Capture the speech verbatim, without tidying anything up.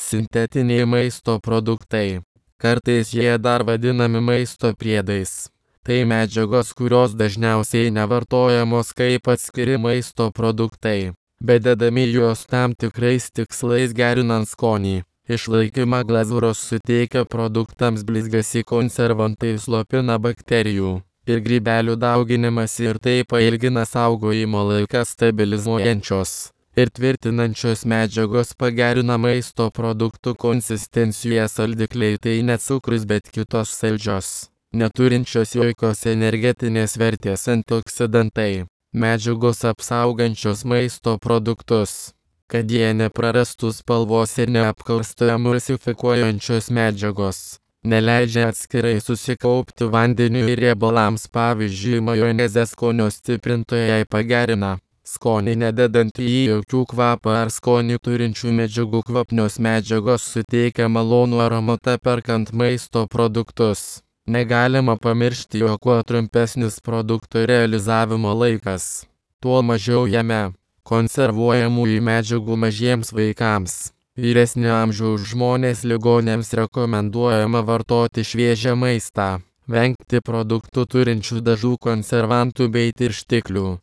Sintetiniai maisto produktai. Kartais jie dar vadinami maisto priedais. Tai medžiagos, kurios dažniausiai nevartojamos kaip atskiri maisto produktai, bet dedami juos tam tikrais tikslais gerinant skonį. Išlaikymą glazūros suteikia produktams blizgesį, konservantai slopina bakterijų ir grybelių dauginimąsi ir tai pailgina saugojimo laiką. Stabilizuojančios ir tvirtinančios medžiagos pagerina maisto produktų konsistenciją. Saldikliai tai ne cukrus, bet kitos saldžios, neturinčios jokios energetinės vertės antioksidantai. Medžiagos apsaugančios maisto produktus, kad jie neprarastų spalvos ir neapkaustų. Emulsifikuojančios medžiagos neleidžia atskirai susikaupti vandeniui ir riebalams. Pavyzdžiui, majonezė skonio stiprintojai pagerina skonį, nededant į jį jokių kvapą ar skonį turinčių medžiagų. Kvapnios medžiagos suteikia malonų aromatą perkant maisto produktus. Negalima pamiršti, jog kuo trumpesnis produkto realizavimo laikas, tuo mažiau jame konservuojamųjų medžiagų. Mažiems vaikams, vyresnio amžiaus žmonės, ligoniams rekomenduojama vartoti šviežią maistą, vengti produktų turinčių dažų, konservantų bei tirštiklių.